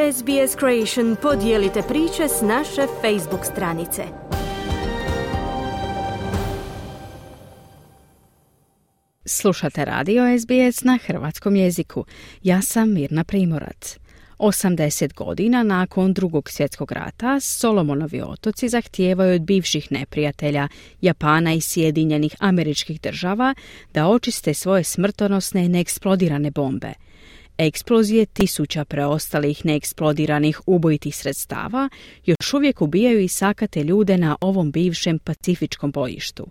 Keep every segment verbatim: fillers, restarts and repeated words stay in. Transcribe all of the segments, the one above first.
S B S Creation podijelite priče s naše Facebook stranice. Slušate radio S B S na hrvatskom jeziku. Ja sam Mirna Primorac. osamdeset godina nakon Drugog svjetskog rata Solomonovi otoci zahtijevaju od bivših neprijatelja Japana i Sjedinjenih Američkih Država da očiste svoje smrtonosne i neeksplodirane bombe. Eksplozije tisuća preostalih neeksplodiranih ubojitih sredstava još uvijek ubijaju i sakate ljude na ovom bivšem pacifičkom bojištu.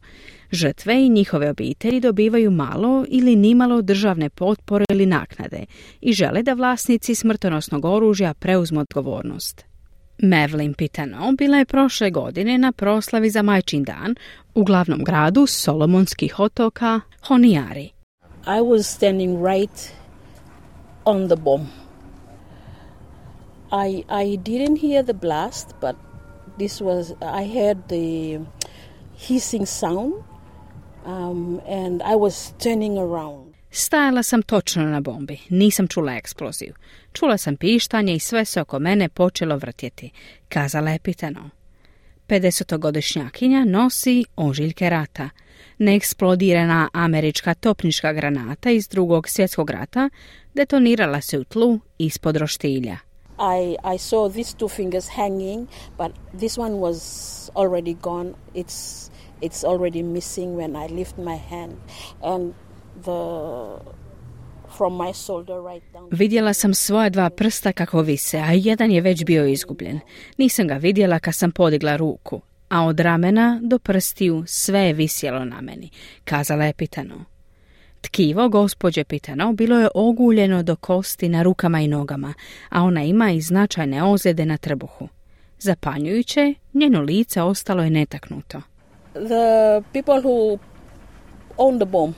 Žrtve i njihove obitelji dobivaju malo ili nimalo državne potpore ili naknade i žele da vlasnici smrtonosnog oružja preuzmu odgovornost. Mavelyn Pitano bila je prošle godine na proslavi za Majčin dan u glavnom gradu Solomonskih otoka Honiari. I was standing right on the bomb. I I didn't hear the blast, but this was I heard the hissing sound, um, and I was turning around. Stajala sam točno na bombi, nisam čula eksploziju. Čula sam pištanje i sve se oko mene počelo vrtjeti, kazala je Pitano. pedesetogodišnjakinja nosi ožiljke rata. Neeksplodirana američka topnička granata iz Drugog svjetskog rata detonirala se u tlu ispod roštilja. I, I saw these two fingers hanging, but this one was already gone. It's, it's already missing when I lift my hand. And the... From my shoulder right down. Vidjela sam svoja dva prsta kako vise, a jedan je već bio izgubljen. Nisam ga vidjela kad sam podigla ruku, a od ramena do prstiju sve je visjelo na meni, kazala je Pitano. Tkivo gospođe Pitano bilo je oguljeno do kosti na rukama i nogama, a ona ima i značajne ozljede na trbuhu. Zapanjujuće, njeno lice ostalo je netaknuto. The people who own the bomb,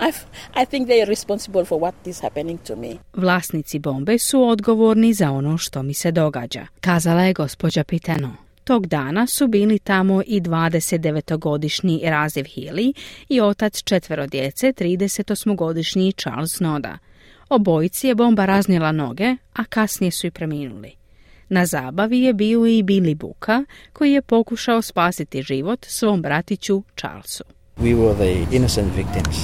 I've, I think they are responsible for what is happening to me. Vlasnici bombe su odgovorni za ono što mi se događa, kazala je gospođa Pitano. Tog dana su bili tamo i dvadesetdevetogodišnji Raziv Healy i otac četvero djece, tridesetosmogodišnji Charles Noda. Obojici je bomba raznijela noge, a kasnije su i preminuli. Na zabavi je bio i Billy Buka, koji je pokušao spasiti život svom bratiću Charlesu. We were the innocent victims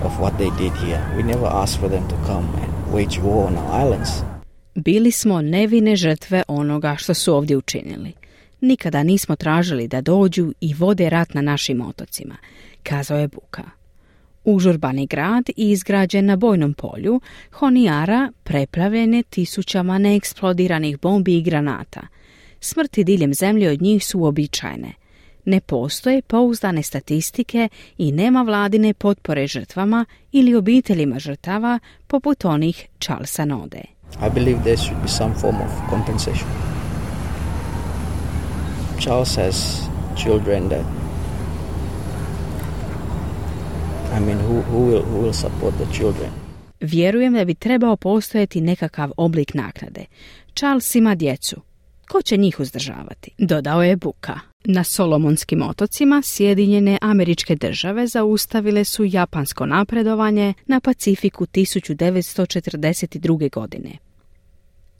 of what they did here. We never asked for them to come and wage war on our islands. Bili smo nevine žrtve onoga što su ovdje učinili. Nikada nismo tražili da dođu i vode rat na našim otocima, kazao je Buka. Užurbani grad izgrađen na bojnom polju, Honiara preplavljen je tisućama neeksplodiranih bombi i granata. Smrti diljem zemlje od njih su uobičajene. Ne postoje pouzdane statistike i nema vladine potpore žrtvama ili obiteljima žrtava poput onih Charlesa Node. I believe there should be some form of compensation. Charles has children that, I mean, who, who will, who will support the children? Vjerujem da bi trebao postojati nekakav oblik naknade. Charles ima djecu. Ko će njih uzdržavati? Dodao je Buka. Na Solomonskim otocima Sjedinjene Američke Države zaustavile su japansko napredovanje na Pacifiku tisuću devetsto četrdeset druge. godine.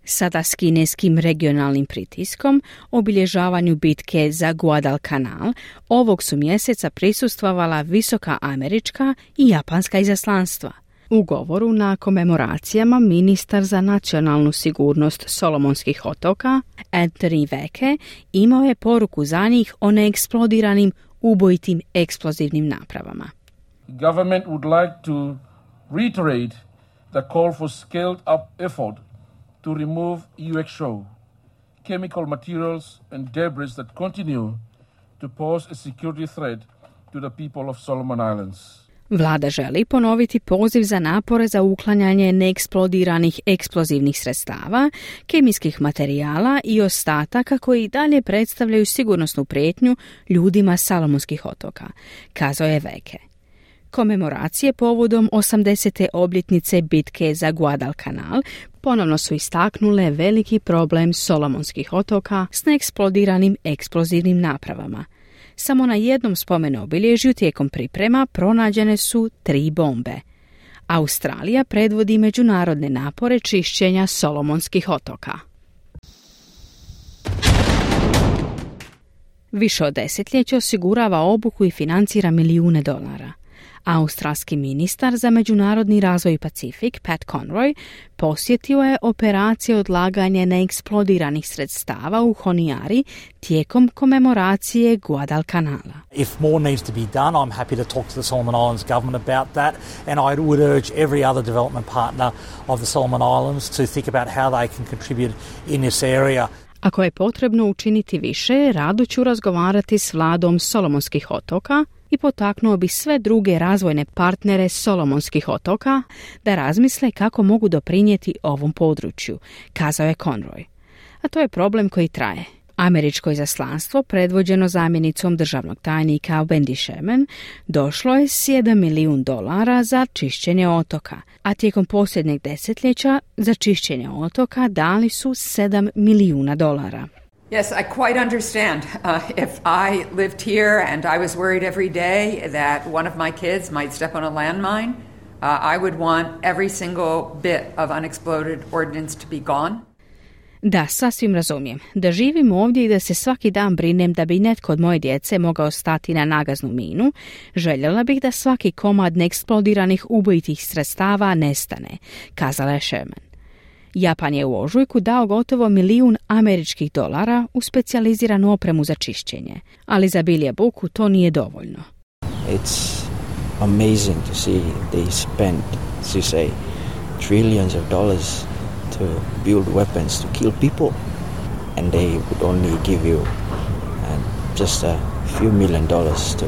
Sada s kineskim regionalnim pritiskom, obilježavanju bitke za Guadalcanal, ovog su mjeseca prisustvovala visoka američka i japanska izaslanstva. U govoru na komemoracijama ministar za nacionalnu sigurnost Solomonskih otoka, Anthony Veke, imao je poruku za njih o neeksplodiranim ubojitim eksplozivnim napravama. Government would like to reiterate the call for scaled up effort to remove U X O, chemical materials and debris that continue to pose a security threat to the people of Solomon Islands. Vlada želi ponoviti poziv za napore za uklanjanje neeksplodiranih eksplozivnih sredstava, kemijskih materijala i ostataka koji i dalje predstavljaju sigurnosnu prijetnju ljudima Salomonskih otoka, kazao je Veke. Komemoracije povodom osamdesete obljetnice bitke za Guadalcanal ponovno su istaknule veliki problem Solomonskih otoka s neeksplodiranim eksplozivnim napravama. Samo na jednom spomen obilježju tijekom priprema pronađene su tri bombe. Australija predvodi međunarodne napore čišćenja Solomonskih otoka. Više od desetljeća osigurava obuku i financira milijune dolara. Australski ministar za međunarodni razvoj i Pacifik, Pat Conroy, posjetio je operacije odlaganja neeksplodiranih sredstava u Honiari tijekom komemoracije Guadalcanala. If more needs to be done, I'm happy to talk to the Solomon Islands government about that, and I would urge every other development partner of the Solomon Islands to think about how they can contribute in this area. Ako je potrebno učiniti više, rado ću razgovarati s vladom Solomonskih otoka i potaknuo bi sve druge razvojne partnere Solomonskih otoka da razmisle kako mogu doprinijeti ovom području, kazao je Conroy. A to je problem koji traje. Američko izaslanstvo, predvođeno zamjenicom državnog tajnika Wendy Sherman, došlo je s jedan milijun dolara za čišćenje otoka, a tijekom posljednjeg desetljeća za čišćenje otoka dali su sedam milijuna dolara. Yes, I quite understand. Uh, if I lived here and I was worried every day that one of my kids might step on a landmine, uh, I would want every single bit of unexploded ordnance to be gone. Da, sasvim razumijem. Da živim ovdje i da se svaki dan brinem da bi netko od moje djece mogao stati na nagaznu minu, željela bih da svaki komad neeksplodiranih ubojitih sredstava nestane, kazala je Sherman. Japan je u ožujku dao gotovo milijun američkih dolara u specijaliziranu opremu za čišćenje, ali za Bilija Buku to nije dovoljno. It's amazing to see they spend, as you say, trillions of dollars to build weapons to kill people, and they would only give you uh, just a few million dollars to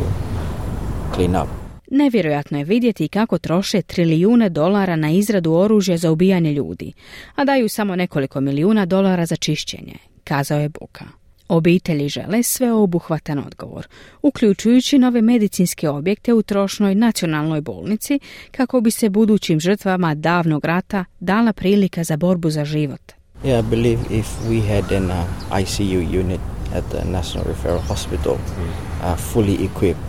clean up. Nevjerojatno je vidjeti kako troše trilijune dolara na izradu oružja za ubijanje ljudi, a daju samo nekoliko milijuna dolara za čišćenje, kazao je Buka. Obitelji žele sveobuhvatan odgovor, uključujući nove medicinske objekte u trošnoj nacionalnoj bolnici kako bi se budućim žrtvama davnog rata dala prilika za borbu za život. Yeah, I believe if we had an uh, I C U unit at the National Referral Hospital, uh, fully equipped,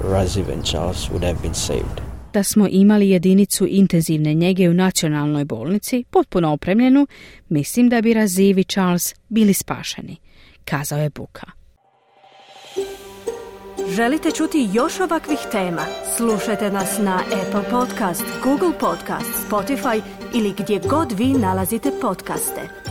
Raziv and Charles would have been saved. Da smo imali jedinicu intenzivne njege u nacionalnoj bolnici, potpuno opremljenu, mislim da bi Raziv i Charles bili spašeni, kazao je Buka. Želite čuti još ovakvih tema? Slušajte nas na Apple Podcast, Google Podcast, Spotify ili gdje god vi nalazite podcaste.